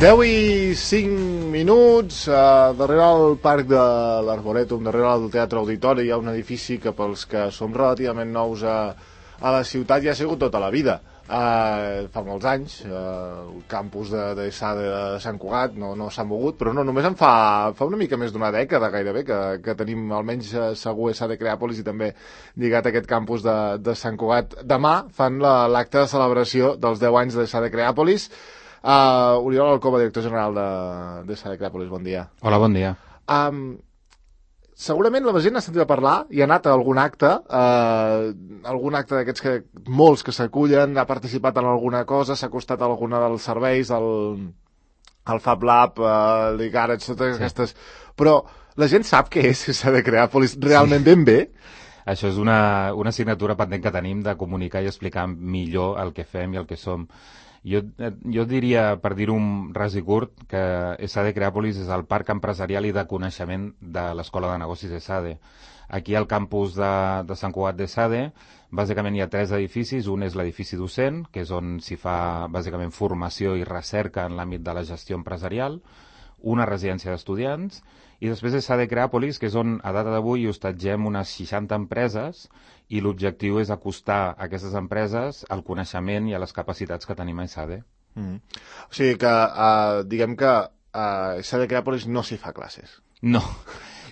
10 i 5 minuts, darrere del Parc de l'Arborètum, darrere del Teatre Auditori, hi ha un edifici que pels que som relativament nous a la ciutat ja ha sigut tota la vida. Fa molts anys, el campus de SADE de Sant Cugat no s'ha mogut, però no, només en fa una mica més d'una dècada gairebé que tenim almenys segur SADE Creàpolis i també lligat a aquest campus de Sant Cugat. Demà fan l'acte de celebració dels 10 anys de SADE Creàpolis. Oriol Alcoba, director general de SADE Creàpolis, bon dia. Hola, bon dia. Segurament la gent ha sentit a parlar i ha anat a algun acte d'aquests que molts que s'acullen, ha participat en alguna cosa, s'ha acostat a alguna dels serveis, al Fab Lab, l'Igarage, totes aquestes... Però la gent sap què és SADE Creàpolis realment ben bé? Això és una assignatura pendent que tenim de comunicar i explicar millor el que fem i el que som. Jo diria, per dir-ho ras i curt, que SADE Creàpolis és el parc empresarial i de coneixement de l'Escola de Negocis SADE. Aquí al campus de Sant Cugat de SADE, bàsicament hi ha 3 edificis. Un és l'edifici docent, que és on s'hi fa bàsicament formació i recerca en l'àmbit de la gestió empresarial, una residència d'estudiants, i després és SADE Creàpolis, que és on a data d'avui hostatgem unes 60 empreses, i l'objectiu és acostar a aquestes empreses al coneixement i a les capacitats que tenim a SADE. O sigui que, diguem que a SADE Creàpolis no s'hi fa classes. No.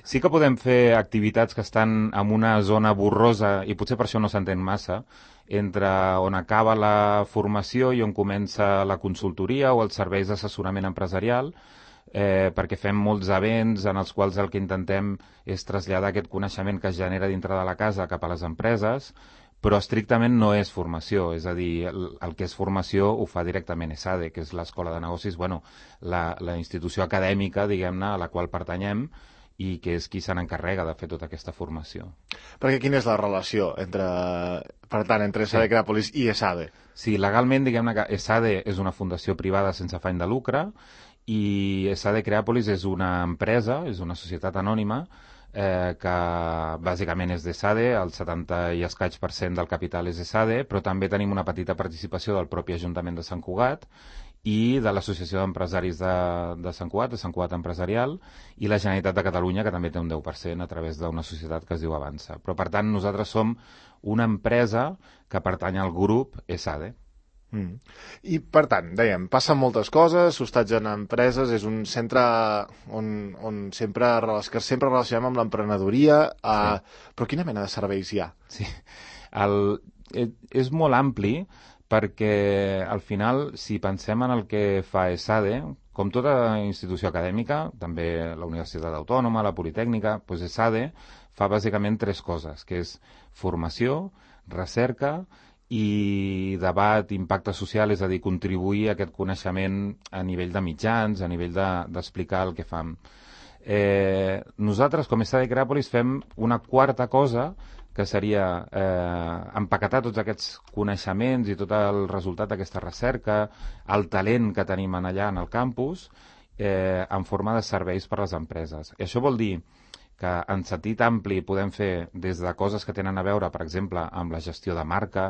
Sí que podem fer activitats que estan en una zona borrosa, i potser per això no s'entén massa, entre on acaba la formació i on comença la consultoria o els serveis d'assessorament empresarial, perquè fem molts events en els quals el que intentem és traslladar aquest coneixement que es genera dintre de la casa cap a les empreses, però estrictament no és formació, és a dir, el que és formació ho fa directament SADE, que és l'Escola de Negocis, la institució acadèmica, diguem-ne, a la qual pertanyem, i que és qui se n'encarrega de fer tota aquesta formació. Perquè quina és la relació entre SADE Creàpolis i SADE? Sí, legalment, diguem-ne que SADE és una fundació privada sense afany de lucre, i SADE Creàpolis és una empresa, és una societat anònima, que bàsicament és de SADE, el 70 i escaig % del capital és de SADE, però també tenim una petita participació del propi Ajuntament de Sant Cugat i de l'Associació d'Empresaris de Sant Cugat, de Sant Cugat Empresarial, i la Generalitat de Catalunya, que també té un 10% a través d'una societat que es diu Avança. Però, per tant, nosaltres som una empresa que pertany al grup SADE. I per tant, dèiem, passen moltes coses, s'hostatgen empreses, és un centre on sempre relacionem amb l'emprenedoria, però quina mena de serveis hi ha? Sí, és molt ampli perquè al final, si pensem en el que fa SADE, com tota institució acadèmica, també la Universitat Autònoma, la Politècnica, doncs SADE fa bàsicament 3 coses, que és formació, recerca i debat, impacte social, és a dir, contribuir a aquest coneixement a nivell de mitjans, a nivell d'explicar el que fem. Nosaltres, com a SADE Creàpolis, fem una quarta cosa, que seria empaquetar tots aquests coneixements i tot el resultat d'aquesta recerca, el talent que tenim allà en el campus, en forma de serveis per a les empreses. I això vol dir que en sentit ampli podem fer des de coses que tenen a veure, per exemple, amb la gestió de marca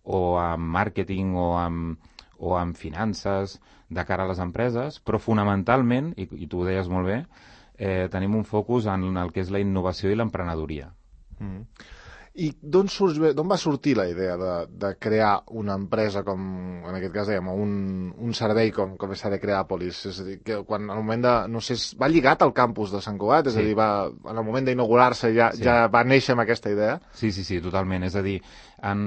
o amb màrqueting o amb finances de cara a les empreses, però fonamentalment, i tu ho deies molt bé, tenim un focus en el que és la innovació i l'emprenedoria. I d'on va sortir la idea de crear una empresa com, en aquest cas dèiem, un servei com és SADE Creàpolis? És a dir, que quan al moment va lligat al campus de Sant Cugat? És a dir, en el moment d'inaugurar-se ja va néixer amb aquesta idea? Sí, totalment. És a dir, en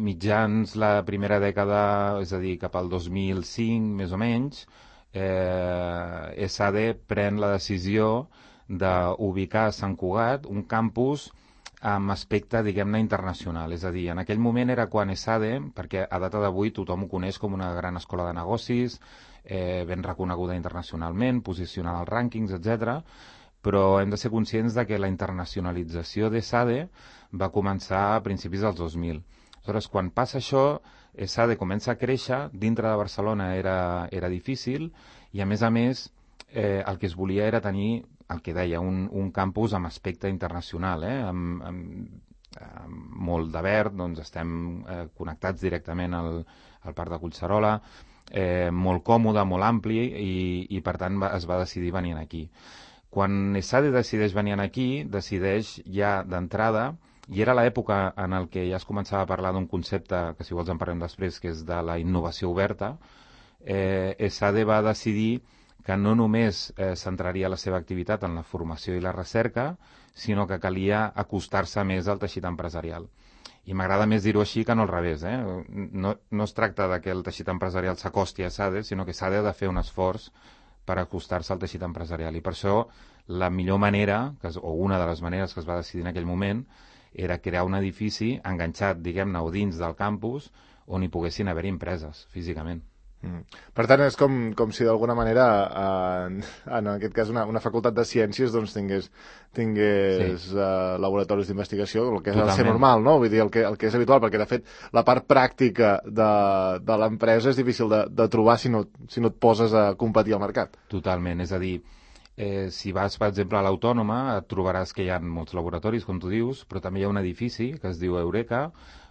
mitjans la primera dècada, és a dir, cap al 2005, més o menys, SADE pren la decisió d'ubicar a Sant Cugat un campus amb aspecte, diguem-ne, internacional. És a dir, en aquell moment era quan SADE, perquè a data d'avui tothom ho coneix com una gran escola de negocis, ben reconeguda internacionalment, posicionada als rànquings, etc. Però hem de ser conscients de que la internacionalització de SADE va començar a principis dels 2000. Aleshores, quan passa això, SADE comença a créixer, dintre de Barcelona era difícil, i a més, el que es volia era tenir el que deia, un campus amb aspecte internacional, molt de verd, doncs estem connectats directament al Parc de Collserola, molt còmode, molt ampli, i per tant es va decidir venir aquí. Quan ESADE decideix venir aquí, decideix ja d'entrada, i era l'època en el que ja es començava a parlar d'un concepte, que si vols en parlem després, que és de la innovació oberta. ESADE va decidir que no només centraria la seva activitat en la formació i la recerca, sinó que calia acostar-se més al teixit empresarial. I m'agrada més dir-ho així que no al revés. No es tracta de que el teixit empresarial s'acosti a ESADE, sinó que ESADE ha de fer un esforç per acostar-se al teixit empresarial. I per això la millor manera, o una de les maneres que es va decidir en aquell moment, era crear un edifici enganxat, diguem-ne, o dins del campus, on hi poguessin haver empreses, físicament. Per tant, és com si d'alguna manera en aquest cas una facultat de ciències doncs tingués laboratoris d'investigació, el que ha de ser normal, no? Vull dir, el que és habitual, perquè de fet la part pràctica de l'empresa és difícil de trobar si no et poses a competir al mercat. Totalment, és a dir, si vas, per exemple, a l'Autònoma, et trobaràs que hi ha molts laboratoris, com tu dius, però també hi ha un edifici que es diu Eureka,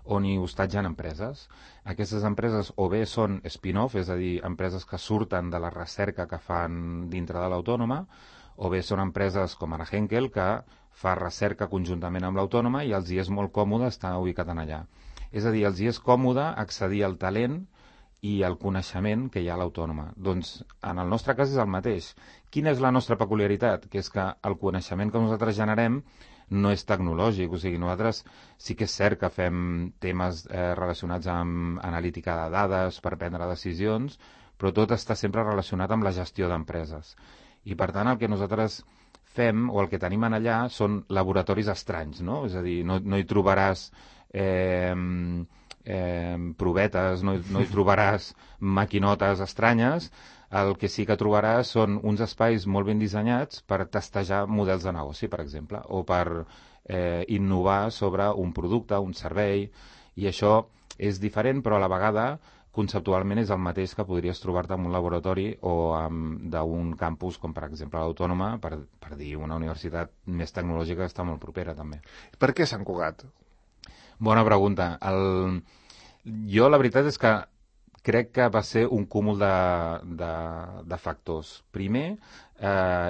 on hi hostatgen empreses. Aquestes empreses o bé són spin-off, és a dir, empreses que surten de la recerca que fan dintre de l'Autònoma, o bé són empreses com ara Henkel, que fa recerca conjuntament amb l'Autònoma i els hi és molt còmode estar ubicat en allà. És a dir, els hi és còmode accedir al talent i al coneixement que hi ha a l'Autònoma. Doncs en el nostre cas és el mateix. Quina és la nostra peculiaritat? Que és que el coneixement que nosaltres generem no és tecnològic, o sigui, nosaltres sí que és cert que fem temes relacionats amb analítica de dades per prendre decisions, però tot està sempre relacionat amb la gestió d'empreses. I per tant el que nosaltres fem o el que tenim en allà són laboratoris estranys, no? És a dir, no hi trobaràs provetes, no hi trobaràs maquinotes estranyes. El que sí que trobaràs són uns espais molt ben dissenyats per testejar models de negoci, per exemple, o per innovar sobre un producte, un servei, i això és diferent, però a la vegada conceptualment és el mateix que podries trobar-te en un laboratori o d'un campus com, per exemple, l'Autònoma, per dir una universitat més tecnològica que està molt propera, també. Per què Sant Cugat? Bona pregunta. Jo la veritat és que crec que va ser un cúmul de factors. Primer,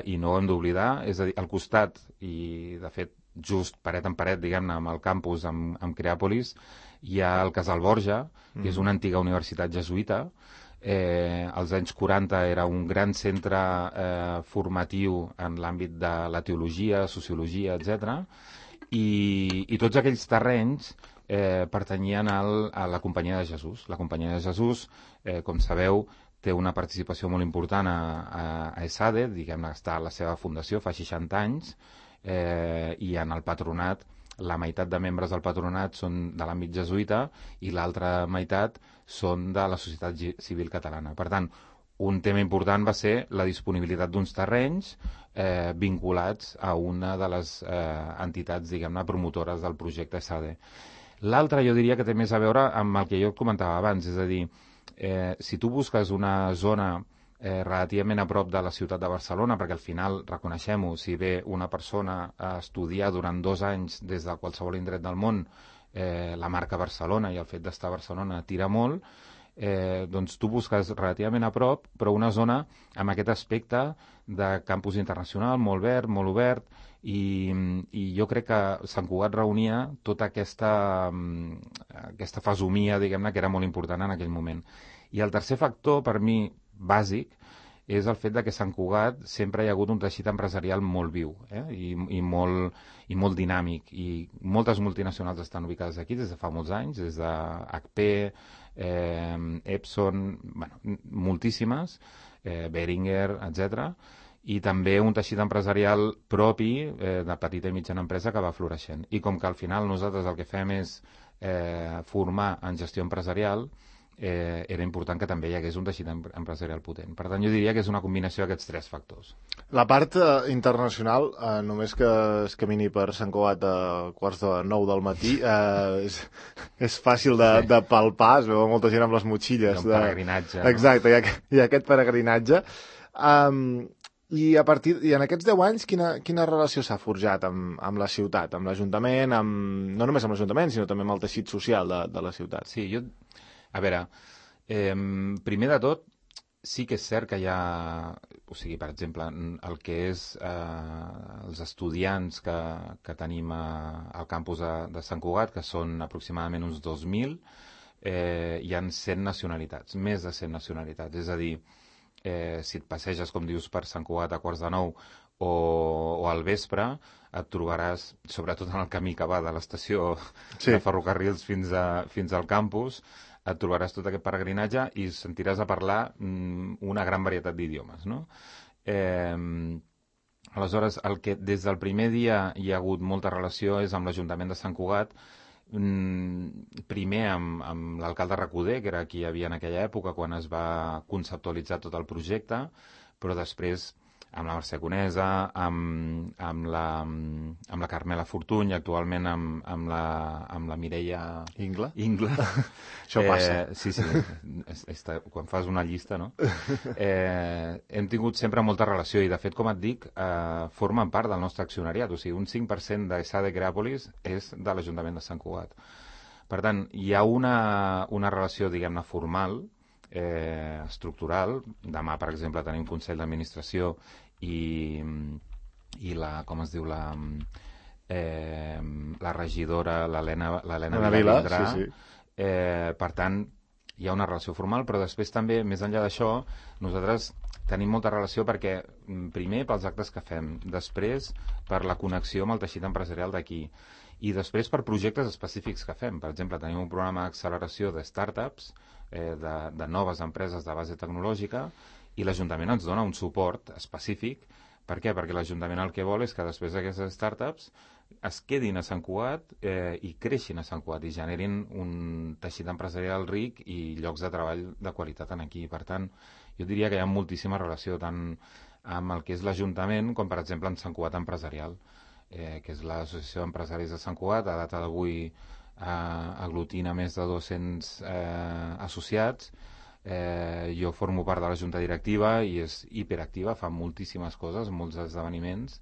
i no ho hem d'oblidar, és a dir, al costat, i de fet just paret en paret, diguem-ne, amb el campus, amb Creàpolis, hi ha el Casal Borja, que és una antiga universitat jesuïta. Als anys 40 era un gran centre formatiu en l'àmbit de la teologia, sociologia, etc. I tots aquells terrenys pertanyien a la Companyia de Jesús. La Companyia de Jesús, com sabeu, té una participació molt important a ESADE, diguem-ne, està a la seva fundació fa 60 anys, i en el patronat, la meitat de membres del patronat són de l'àmbit jesuïta i l'altra meitat són de la societat civil catalana. Per tant, un tema important va ser la disponibilitat d'uns terrenys vinculats a una de les entitats, diguem-ne, promotores del projecte ESADE. L'altre jo diria que té més a veure amb el que jo comentava abans, és a dir, si tu busques una zona relativament a prop de la ciutat de Barcelona, perquè al final, reconeixem-ho, si ve una persona a estudiar durant 2 anys des de qualsevol indret del món la marca Barcelona i el fet d'estar a Barcelona tira molt, doncs tu busques relativament a prop, però una zona amb aquest aspecte de campus internacional, molt verd, molt obert, i jo crec que Sant Cugat reunia tota aquesta fesomia, diguem-ne, que era molt important en aquell moment. I el tercer factor, per mi, bàsic, és el fet de que a Sant Cugat sempre hi ha hagut un teixit empresarial molt viu i molt dinàmic, i moltes multinacionals estan ubicades aquí des de fa molts anys, des de HP, Epson, moltíssimes, Behringer, etc., i també un teixit empresarial propi de petita i mitjana empresa que va floreixent. I com que al final nosaltres el que fem és formar en gestió empresarial, era important que també hi hagués un teixit empresarial potent. Per tant, jo diria que és una combinació d'aquests 3 factors. La part internacional, només que es camini per Sant Cugat a 8:45 del matí, és fàcil de palpar, es veu molta gent amb les motxilles. Hi ha un peregrinatge. Exacte, hi ha aquest peregrinatge. I en aquests 10 anys, quina relació s'ha forjat amb la ciutat, amb l'Ajuntament, no només amb l'Ajuntament, sinó també amb el teixit social de la ciutat? Sí, a veure, primer de tot, sí que és cert que hi ha, o sigui, per exemple, el que és els estudiants que tenim al campus de Sant Cugat, que són aproximadament uns 2.000, hi ha 100 nacionalitats, més de 100 nacionalitats, és a dir, si et passeges, com dius, per Sant Cugat a quarts de 9 o al vespre, et trobaràs, sobretot en el camí que va de l'estació de ferrocarrils fins al campus, et trobaràs tot aquest peregrinatge i sentiràs a parlar una gran varietat d'idiomes, no? Aleshores, el que des del primer dia hi ha hagut molta relació és amb l'Ajuntament de Sant Cugat, primer amb l'alcalde Recoder, que era qui hi havia en aquella època quan es va conceptualitzar tot el projecte, però després amb la Mercè Conesa, amb la Carmela Fortuny, actualment amb la Mireia Ingla. Això passa. Sí, quan fas una llista, no? Hem tingut sempre molta relació i, de fet, com et dic, formen part del nostre accionariat. O sigui, un 5% d'ESADE Creàpolis és de l'Ajuntament de Sant Cugat. Per tant, hi ha una relació, diguem-ne, formal, estructural. Demà, per exemple, tenim Consell d'Administració i la, com es diu, la regidora, l'Helena Vila vindrà. Sí. Per tant, hi ha una relació formal, però després també, més enllà d'això, nosaltres tenim molta relació perquè, primer, pels actes que fem, després, per la connexió amb el teixit empresarial d'aquí, i després per projectes específics que fem. Per exemple, tenim un programa d'acceleració de startups, de noves empreses de base tecnològica, i l'Ajuntament ens dona un suport específic. Per què? Perquè l'Ajuntament el que vol és que després d'aquestes startups es quedin a Sant Cugat i creixin a Sant Cugat i generin un teixit empresarial ric i llocs de treball de qualitat aquí. Per tant, jo diria que hi ha moltíssima relació tant amb el que és l'Ajuntament com, per exemple, amb Sant Cugat Empresarial, que és l'Associació d'Empresaris de Sant Cugat. A data d'avui aglutina més de 200 associats. Jo formo part de la junta directiva i és hiperactiva, fa moltíssimes coses, molts esdeveniments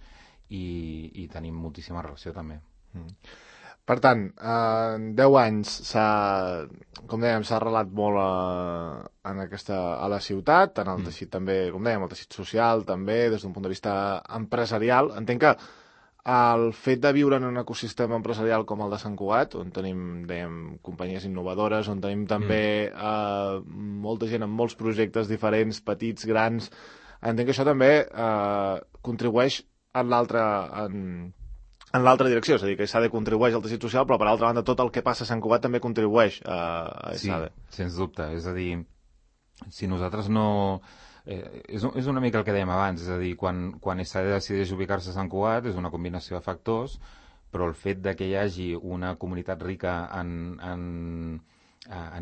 i tenim moltíssima relació també. Per tant, en 10 anys com dèiem, s'ha arrelat molt a la ciutat, en el teixit també, com dèiem, el teixit social també, des d'un punt de vista empresarial. Entenc que el fet de viure en un ecosistema empresarial com el de Sant Cugat, on tenim, dèiem, companyies innovadores, on tenim també molta gent amb molts projectes diferents, petits, grans, entenc que això també contribueix en l'altra direcció, és a dir, que ESADE contribueix al teixit social, però per altra banda tot el que passa a Sant Cugat també contribueix a ESADE. Sí, sens dubte, és a dir, si nosaltres no... És una mica el que dèiem abans, és a dir, quan ESADE decideix ubicar-se a Sant Cugat és una combinació de factors, però el fet de que hi hagi una comunitat rica a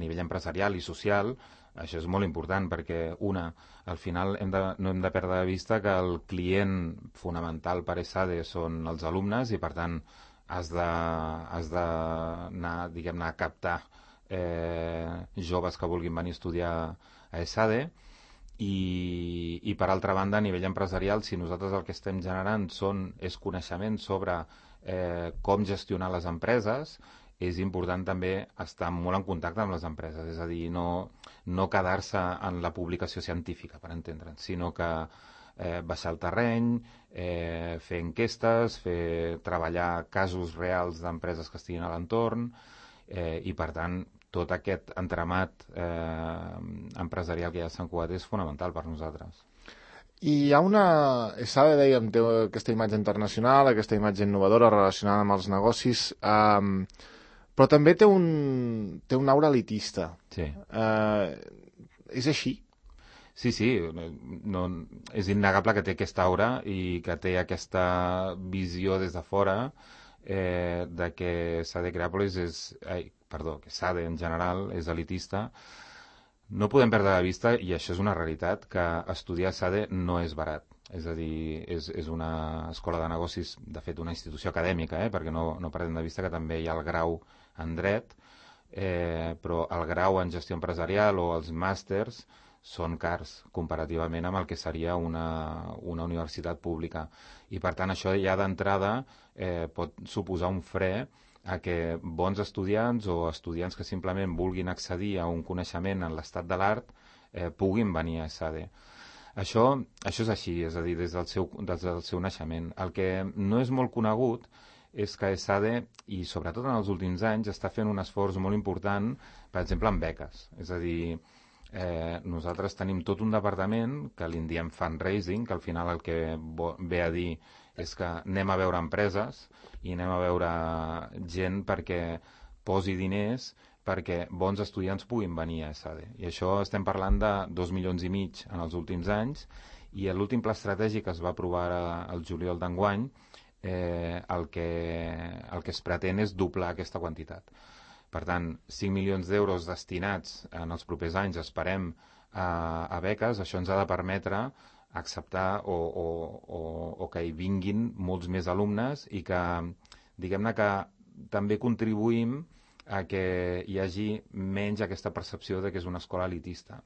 nivell empresarial i social, això és molt important perquè, al final no hem de perdre de vista que el client fonamental per ESADE són els alumnes i, per tant, has d'anar, diguem-ne, a captar joves que vulguin venir a estudiar a ESADE. I per altra banda, a nivell empresarial, si nosaltres el que estem generant és coneixement sobre com gestionar les empreses, és important també estar molt en contacte amb les empreses, és a dir, no quedar-se en la publicació científica, per entendre'ns, sinó que baixar al terreny, fer enquestes, treballar casos reals d'empreses que estiguin a l'entorn i, per tant, tot aquest entramat empresarial que hi ha a Sant Cugat és fonamental per nosaltres. I hi ha ESADE, dèiem, té aquesta imatge internacional, aquesta imatge innovadora relacionada amb els negocis, però també té un aura elitista. Sí. És així? Sí, no, és innegable que té aquesta aura i que té aquesta visió des de fora de que ESADE Creàpolis que ESADE en general és elitista. No podem perdre de vista, i això és una realitat, que estudiar ESADE no és barat. És a dir, és una escola de negocis, de fet una institució acadèmica, perquè no perdem de vista que també hi ha el grau en dret, però el grau en gestió empresarial o els màsters són cars comparativament amb el que seria una universitat pública. I per tant això ja d'entrada pot suposar un fre a que bons estudiants o estudiants que simplement vulguin accedir a un coneixement en l'estat de l'art puguin venir a ESADE. Això és així, és a dir, des del seu naixement. El que no és molt conegut és que ESADE, i sobretot en els últims anys, està fent un esforç molt important, per exemple, en beques. És a dir, nosaltres tenim tot un departament que li en diem fundraising, que al final el que ve a dir és que anem a veure empreses i anem a veure gent perquè posi diners perquè bons estudiants puguin venir a ESADE. I això estem parlant de 2,5 milions en els últims anys, i l'últim pla estratègic que es va aprovar el juliol d'enguany, el que es pretén és doblar aquesta quantitat. Per tant, 5 milions d'euros destinats en els propers anys, esperem, a beques. Això ens ha de permetre acceptar o que hi vinguin molts més alumnes i que, diguem-ne, que també contribuïm a que hi hagi menys aquesta percepció de que és una escola elitista.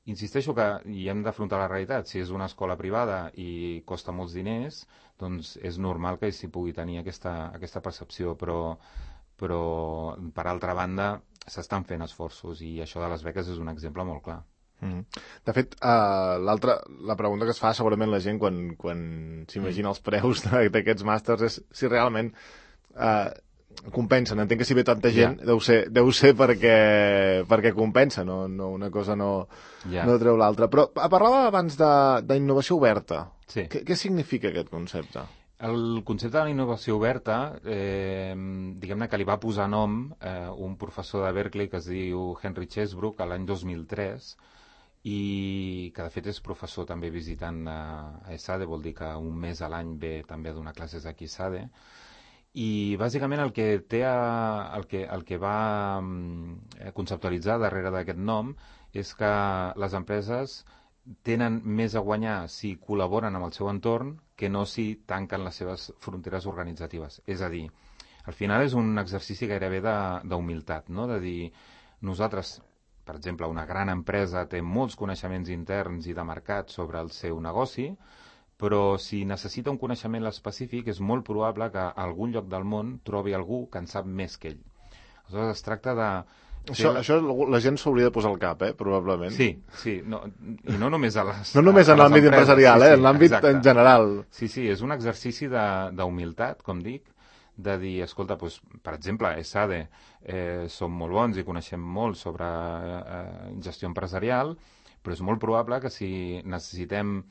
Insisteixo que hi hem d'afrontar la realitat. Si és una escola privada i costa molts diners, doncs és normal que s'hi pugui tenir aquesta percepció, però per altra banda s'estan fent esforços i això de les beques és un exemple molt clar. De fet, la pregunta que es fa segurament la gent quan s'imagina els preus d'aquests màsters és si realment compensen. Entenc que si ve tanta gent deu ser perquè compensa, no una cosa no treu l'altra. Però parlava abans d'innovació oberta. Sí. Què significa aquest concepte? El concepte de la innovació oberta, diguem-ne que li va posar nom un professor de Berkeley que es diu Henry Chesbrook l'any 2003, i que de fet és professor també visitant a ESADE, vol dir que un mes a l'any ve també a donar classes aquí a ESADE. I bàsicament el que va conceptualitzar darrere d'aquest nom és que les empreses tenen més a guanyar si col·laboren amb el seu entorn que no si tanquen les seves fronteres organitzatives. És a dir, al final és un exercici gairebé d'humilitat, no? De dir, nosaltres, per exemple, una gran empresa té molts coneixements interns i de mercat sobre el seu negoci, però si necessita un coneixement específic és molt probable que a algun lloc del món trobi algú que en sap més que ell. Aleshores es tracta de... Això la gent s'hauria de posar al cap, probablement. Sí. No, i no només a les... No només en l'àmbit empresarial, en l'àmbit en general. Sí, és un exercici d'humilitat, com dic, de dir, escolta, doncs, per exemple, a ESADE som molt bons i coneixem molt sobre gestió empresarial, però és molt probable que si necessitem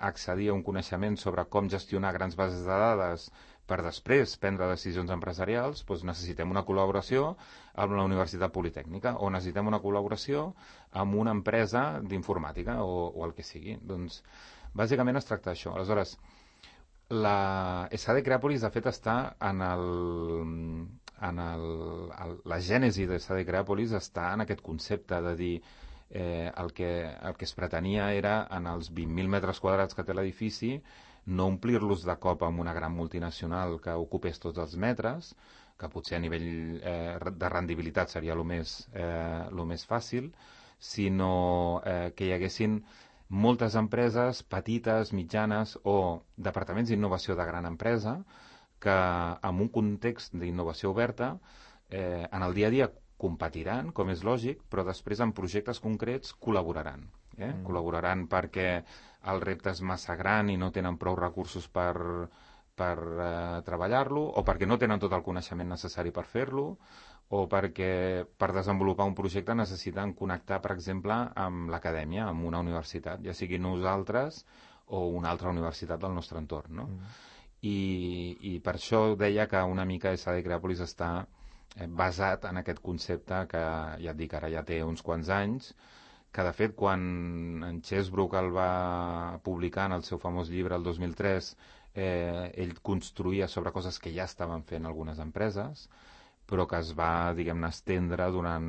accedir a un coneixement sobre com gestionar grans bases de dades per després prendre decisions empresarials, doncs necessitem una col·laboració amb la Universitat Politècnica o necessitem una col·laboració amb una empresa d'informàtica o el que sigui. Doncs, bàsicament es tracta d'això. Aleshores, la ESADE Creàpolis, de fet, està la gènesi d'ESADE Creàpolis està en aquest concepte de dir el que es pretenia era, en els 20.000 metres quadrats que té l'edifici, no omplir-los de cop amb una gran multinacional que ocupés tots els metres, que potser a nivell de rendibilitat seria el més fàcil, sinó que hi haguessin moltes empreses petites, mitjanes o departaments d'innovació de gran empresa que en un context d'innovació oberta en el dia a dia competiran, com és lògic, però després en projectes concrets col·laboraran. Col·laboraran perquè el repte és massa gran i no tenen prou recursos per treballar-lo, o perquè no tenen tot el coneixement necessari per fer-lo, o perquè per desenvolupar un projecte necessiten connectar, per exemple, amb l'acadèmia, amb una universitat, ja sigui nosaltres o una altra universitat del nostre entorn, no? I per això deia que una mica ESADE Creàpolis està basat en aquest concepte que, ja et dic, ara ja té uns quants anys, que de fet quan en Chesbrook el va publicar en el seu famós llibre el 2003, ell construïa sobre coses que ja estaven fent algunes empreses, però que es va, diguem-ne, estendre durant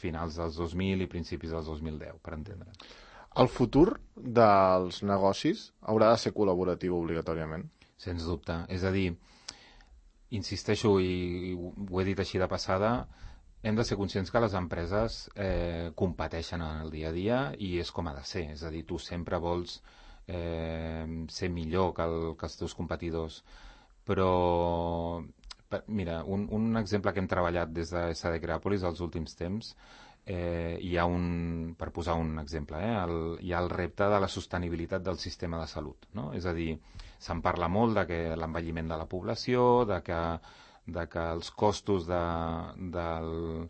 finals dels 2000 i principis dels 2010, per entendre. El futur dels negocis haurà de ser col·laboratiu obligatòriament? Sens dubte. És a dir, insisteixo, i ho he dit així de passada, hem de ser conscients que les empreses competeixen en el dia a dia i és com ha de ser. És a dir, tu sempre vols ser millor que els teus competidors. Però, mira, un exemple que hem treballat des de SD Creàpolis els últims temps, hi ha per posar un exemple, hi ha el repte de la sostenibilitat del sistema de salut, no? És a dir, se'n parla molt de que l'envelliment de la població, de que els costos del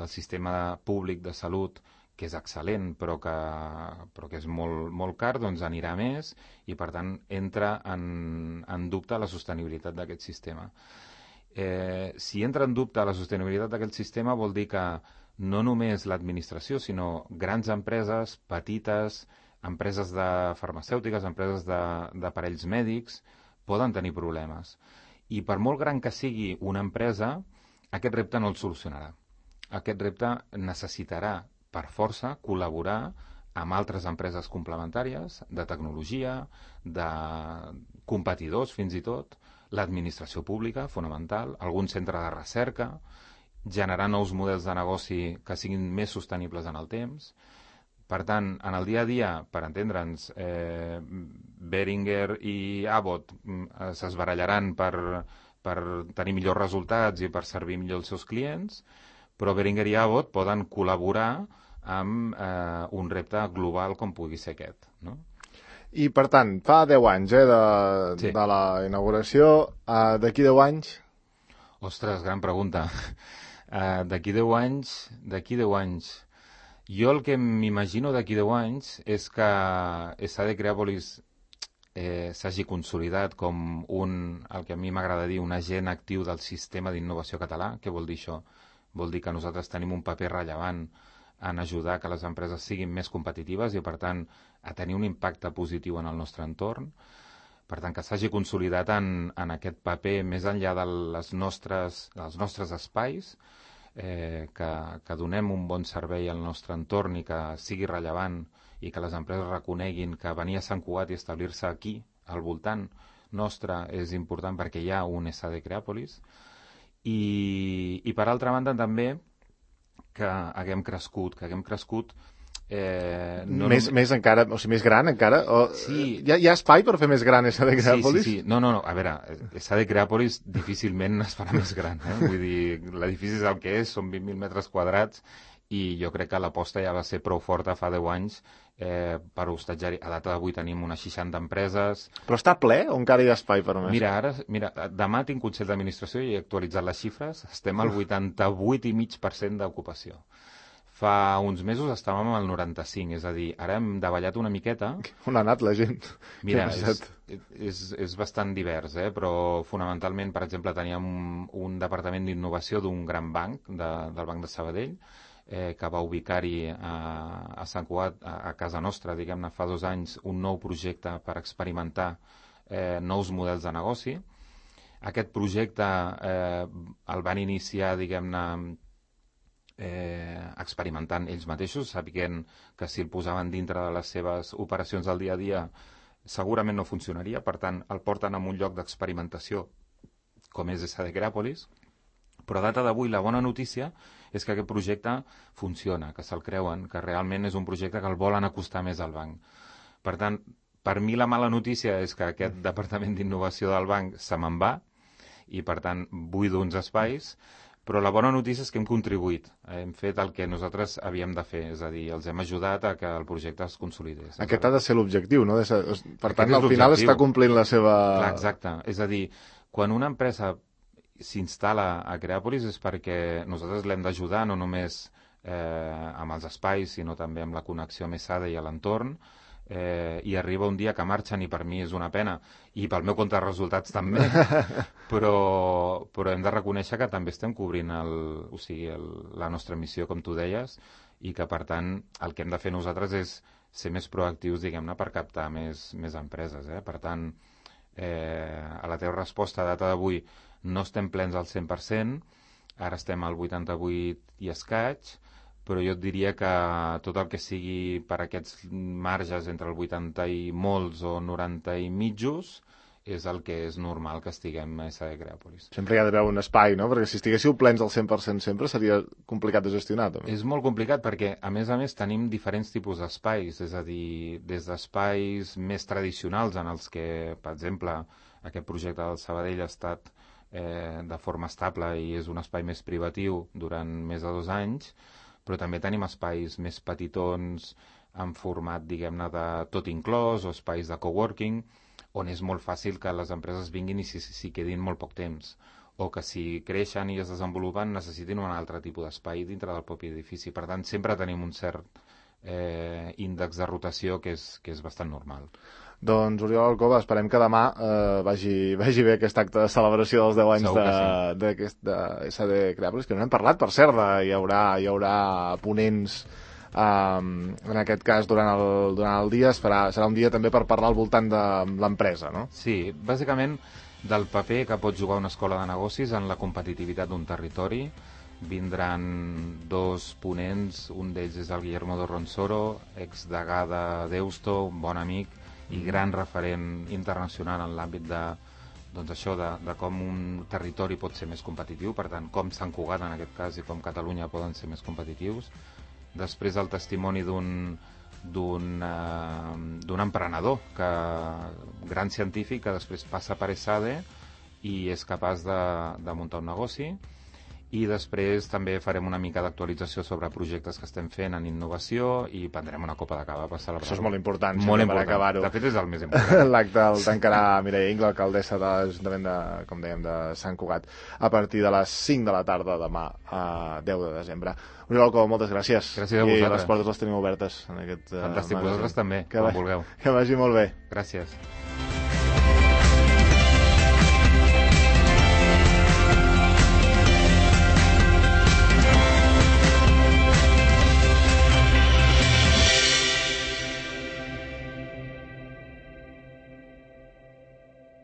sistema públic de salut, que és excel·lent però que és molt, molt car, doncs anirà més i per tant entra en dubte la sostenibilitat d'aquest sistema. Si entra en dubte la sostenibilitat d'aquest sistema vol dir que no només l'administració, sinó grans empreses, petites, empreses de farmacèutiques, empreses d'aparells mèdics, poden tenir problemes. I per molt gran que sigui una empresa, aquest repte no el solucionarà. Aquest repte necessitarà, per força, col·laborar amb altres empreses complementàries, de tecnologia, de competidors fins i tot, l'administració pública, fonamental, algun centre de recerca, generar nous models de negoci que siguin més sostenibles en el temps. Per tant, en el dia a dia, per entendre'ns, Behringer i Abbott s'esbarallaran per tenir millors resultats i per servir millor els seus clients, però Behringer i Abbott poden col·laborar amb un repte global com pugui ser aquest, no? I, per tant, fa 10 anys Sí. de la inauguració, d'aquí 10 anys? Ostres, gran pregunta. D'aquí 10 anys... Jo el que m'imagino d'aquí 10 anys és que SD Creàpolis s'hagi consolidat com el que a mi m'agrada dir, un agent actiu del sistema d'innovació català. Què vol dir això? Vol dir que nosaltres tenim un paper rellevant en ajudar que les empreses siguin més competitives i, per tant, a tenir un impacte positiu en el nostre entorn. Per tant, que s'hagi consolidat en aquest paper més enllà dels nostres espais, que donem un bon servei al nostre entorn i que sigui rellevant i que les empreses reconeguin que venir a Sant Cugat i establir-se aquí, al voltant nostre, és important perquè hi ha un SD Creàpolis. I per altra banda també que haguem crescut més encara, o sigui, més gran encara? Sí. Hi ha espai per fer més gran SD Creàpolis? Sí. No. A veure, SD Creàpolis difícilment es farà més gran. Vull dir, l'edifici és el que és, són 20.000 metres quadrats i jo crec que l'aposta ja va ser prou forta fa 10 anys per hostatjar-hi. A data d'avui tenim unes 60 empreses. Però està ple o encara hi ha espai per més? Mira, demà tinc Consell d'Administració i he actualitzat les xifres. Estem al 88,5% d'ocupació. Fa uns mesos estàvem al 95, és a dir, ara hem davallat una miqueta. On ha anat la gent? Mira, és bastant divers, però fonamentalment, per exemple, teníem un departament d'innovació d'un gran banc, del Banc de Sabadell, que va ubicar-hi a Sant Cugat, a casa nostra, diguem-ne, fa 2 anys, un nou projecte per experimentar nous models de negoci. Aquest projecte el van iniciar, diguem-ne, experimentant ells mateixos, sabent que si el posaven dintre de les seves operacions del dia a dia segurament no funcionaria, per tant el porten a un lloc d'experimentació com és SD Creàpolis, però a data d'avui la bona notícia és que aquest projecte funciona, que se'l creuen, que realment és un projecte que el volen acostar més al banc. Per tant, per mi la mala notícia és que aquest departament d'innovació del banc se me'n va i per tant buido uns espais, però la bona notícia és que hem contribuït, hem fet el que nosaltres havíem de fer, és a dir, els hem ajudat a que el projecte es consolidés. Aquest ha de ser l'objectiu, no? Per tant, al final està complint la seva... Clar, exacte. És a dir, quan una empresa s'instal·la a Creàpolis és perquè nosaltres l'hem d'ajudar no només amb els espais, sinó també amb la connexió amb ESADE i a l'entorn, i arriba un dia que marxen i per mi és una pena i pel meu compte de resultats també però hem de reconèixer que també estem cobrint la nostra missió, com tu deies, i que per tant el que hem de fer nosaltres és ser més proactius, diguem-ne, per captar més empreses. Per tant, a la teva resposta a data d'avui no estem plens al 100%, ara estem al 88 i escaig, però jo et diria que tot el que sigui per aquests marges entre el 80 i molts o 90 i mitjos és el que és normal que estiguem a SAD Creàpolis. Sempre hi ha d'haver un espai, no? Perquè si estiguéssiu plens al 100% sempre seria complicat de gestionar, també. És molt complicat perquè, a més, tenim diferents tipus d'espais, és a dir, des d'espais més tradicionals en els que, per exemple, aquest projecte del Sabadell ha estat de forma estable i és un espai més privatiu durant més de 2 anys, però també tenim espais més petitons en format, diguem-ne, de tot inclòs, o espais de coworking, on és molt fàcil que les empreses vinguin i s'hi quedin molt poc temps, o que si creixen i es desenvolupen necessitin un altre tipus d'espai dintre del propi edifici. Per tant, sempre tenim un cert índex de rotació que és bastant normal. Doncs, Oriol Alcoba, esperem que demà vagi bé aquest acte de celebració dels 10 anys de SAD Creàpolis, que no hem parlat, per cert, hi haurà ponents en aquest cas durant el dia. Serà un dia també per parlar al voltant de l'empresa, no? Sí, bàsicament del paper que pot jugar una escola de negocis en la competitivitat d'un territori. Vindran 2 ponents, un d'ells és el Guillermo de Ronsoro, exdegà de Deusto, un bon amic i gran referent internacional en l'àmbit de com un territori pot ser més competitiu, per tant, com Sant Cugat en aquest cas i com Catalunya poden ser més competitius. Després el testimoni d'un emprenedor, gran científic, que després passa per ESADE i és capaç de muntar un negoci. I després també farem una mica d'actualització sobre projectes que estem fent en innovació i prendrem una copa de cava per celebrar-ho. Això és molt important, molt important. Per acabar-ho. De fet, és el més important. L'acte el tancarà Mireia Ingla, alcaldessa de l'Ajuntament com dèiem, de Sant Cugat, a partir de les 5 de la tarda demà, a 10 de desembre. Oriol Alcoba, moltes gràcies. Gràcies a vosaltres. I les portes les tenim obertes en aquest Fantàstic, vosaltres també, quan vulgueu. Que vagi molt bé. Gràcies.